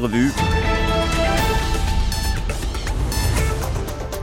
Revue.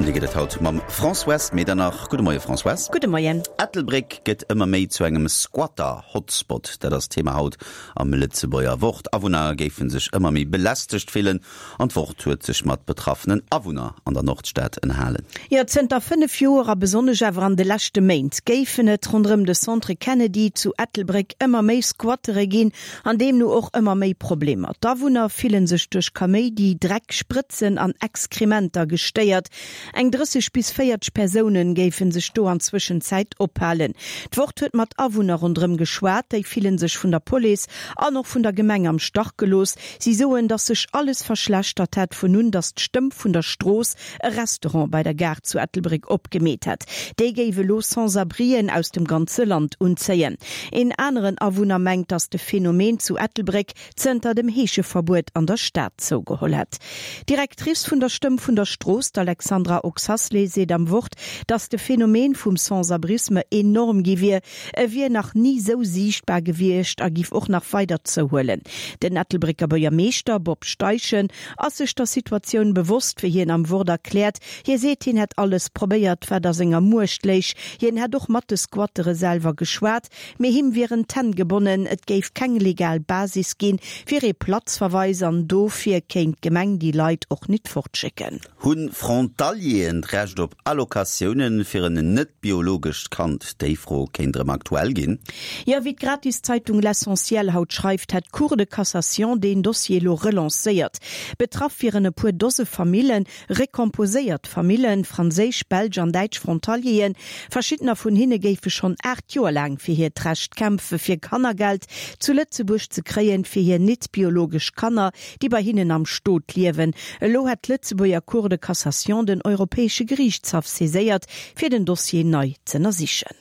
Déi gëtt et haut mam Françoise Medernach. Gudde Moie Françoise. Gudde Moien. Ettelbréck gëtt ëmmer méi zu engem Squatter-Hotspot. Dat ass d'Thema haut am Lëtzebuerger Wort. Awunner géife sech ëmmer méi belästegt fillen an d'Wort huet sech mat betraffenen Awunner an der Nordstad ënnerhalen. Jo, zënter 5 Joer a besonnesch awer an de leschte Méint géifen et ronderëm de Centre Kennedy zu Ettelbréck ëmmer méi Squattere ginn An deemno och ëmmer méi Problemer. D'Awunner fillen sech duerch Kaméidi, Dreck, Sprëtzen an Exkrementer gestéiert. Eng 30 bis 40 Persounen géifen sech do an Zwëschenzäit ophalen. D'Wort huet mat Awunner ronderëm geschwat. Déi fillen sech vun der Police an och vun der Gemeng am Stach gelooss. Si soen, datt sech alles verschlechtert hätt vun un, datt d'Stëmm vun der Strooss e Restaurant bei der Gare zu Ettelbréck opgemeet hätt. Déi géif elo Sans-abrien aus dem ganze Land unzéien. Een aneren Awunner mengt, datt de Phänomen zu Ettelbréck zënter dem Heescheverbuet an der Stad zougeholl hätt. D'Directrice vun der Stëmm vun der Strooss, d'Alexandra Oxasley, seet am Wort, datt de Phänomen vum Sans-abrisme enorm gi wier. E wier nach ni sou siichtbar gewiescht a giff och nach weider zouhuelen. Den Ettelbrécker Buergermeeschter Bob Steichen ass sech der Situatioun bewosst, wéi hien am Wort erkläert. Hie seet, hien hätt alles probéiert, wat a senger Muecht léich. Hien hätt och mat de Squattere selwer geschwat, mee him wieren d'Hänn gebonnen. Et géif keng legal Basis ginn fir ee Platzverweis an dofir kéint d'Gemeng déi Leit och nit fortschécken. Hunn Frontalieren d'Recht op Allocatiounen fir en net-biologescht Kand? Déi Fro kéint erëm aktuell ginn. Jo, wéi d'Gratiszeitung L'Essentiel haut schreift, hätt d'Cour de Cassation deen Dossier elo relancéiert. Betraff wieren e puer Dose Famillen, recomposéiert Famillen, franséisch, belsch an däitsch Frontalieren. Verschiddener vun hinne géife schonn 8 Joer laang fir hiert Recht kämpfe fir Kannergeld zu Lëtzebuerg ze kréien, fir hir nit-biologesch Kanner, déi bei hinnen am Stot liewen. Elo hätt d'Lëtzebuerger Cour de Cassation den Europäesche Geriichtshaff saiséiert, fir den Dossier nei z'ënnersichen.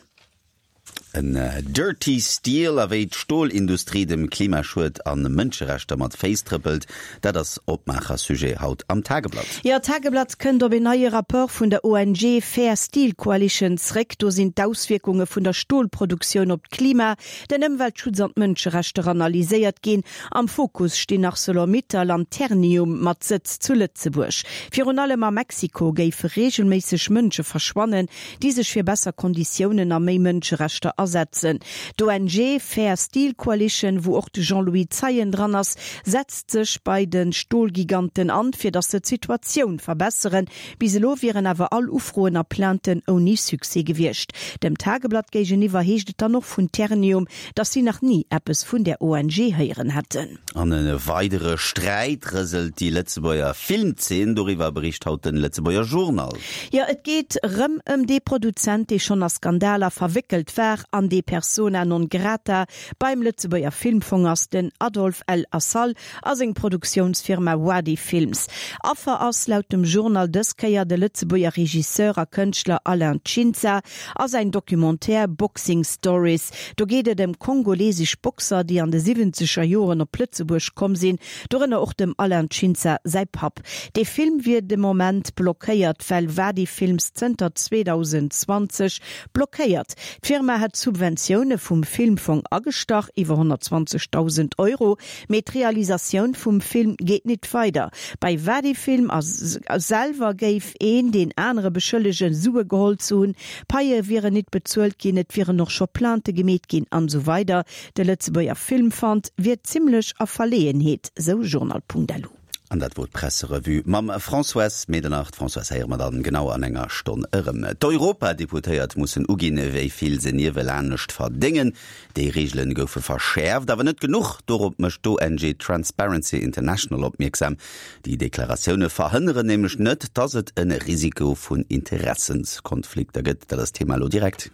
En Dirty Steel a wéi d'Stolindustrie dem Klimaschued a Mënscherechter mat Féiss trëppelt, dat ass Opmaacher-Sujet haut am Tageblatt. Jo, d'Tageblatt kënnt op een neie Rapport vun der ONG Fair Steel Coalition zréck. Do sinn d'Auswierkunge vun der Stolproduktioun op d'Klima, den Ëmweltschutz an d'Mënscherechter analyséiert ginn. Am Fokus stinn Arcelor-Mittal an Ternium mat Sëtz zu Lëtzebuerg. Virun allem a Mexiko géife reegelméisseg Mënsche verschwannen, déi sech fir besser Konditiounen a méi Mënscherechter asetzen. D'ONG Fair Steel Coalition, wou och de Jean-Louis Zeien dran ass, setzt sech bei de Stolgiganten an, fir datt se d'Situatioun verbesseren. Bis elo wieren awer all Ufroen a Plainten ouni Succès gewiescht. Dem Tageblatt géigeniwwer heescht et dann och vun Ternium, dass si nach ni eppes vun där ONG héieren hätten. An e weidere Sträit rëselt déi Lëtzebuerger Filmzeen. Doriwwer bericht haut den Lëtzebuerger Journal. Jo, et geet rëm ëm dee Produzent, dee schonn a Skandaler verwéckelt war an dee Persona non grata beim Lëtzebuerger Filmfong ass, den Adolf El Assal a seng Produktiounsfirma Wadi Films. Affer ass laut dem Journal dës Kéier de Lëtzebuerger Regisseur a Kënschtler Alain Tshinza a säin Documentaire Boxing Stories. Do geet et ëm kongolesesch Boxer, déi an de siwwenzeger Joren op Lëtzebuerg komm sinn, dorënner och dem Alain Tshinza säi Papp. Dee Film wier de Moment blockéiert, well Wadi Films zënter 2020 blockéiert. D'Firma hätt Subventioune vum Filmfong agestach, iwwer 120.000 Euro, Mee d'Realisatioun vum Film geet nit weider. Bei Wadi-Film a selwer géif een deen anere beschëllegen, Sue geholl ze hunn, Paie wieren nit bezuelt ginn, et wieren och scho Plainte gemeet ginn an esou weider De Lëtzebuerger Filmfond wier zimmlech a Verleeënheet, sou Journal.lu. An dat wor d'Presserevue mam Françoise Medernach. D'Françoise héiere mer dann genau an enger Stonn erëm. D'Europadeputéiert mussen uginn, wéi vill se niewelaanescht verdéngen. Déi Reegele goufe verschäerft, awer net genuch. Dorop mécht d'ONG Transparency International opmierksam. Déi Deklaratioune verhënneren nämlech net, datt et e Risiko vun Interessenskonflikter gëtt. Dat ass d'Thema elo direkt.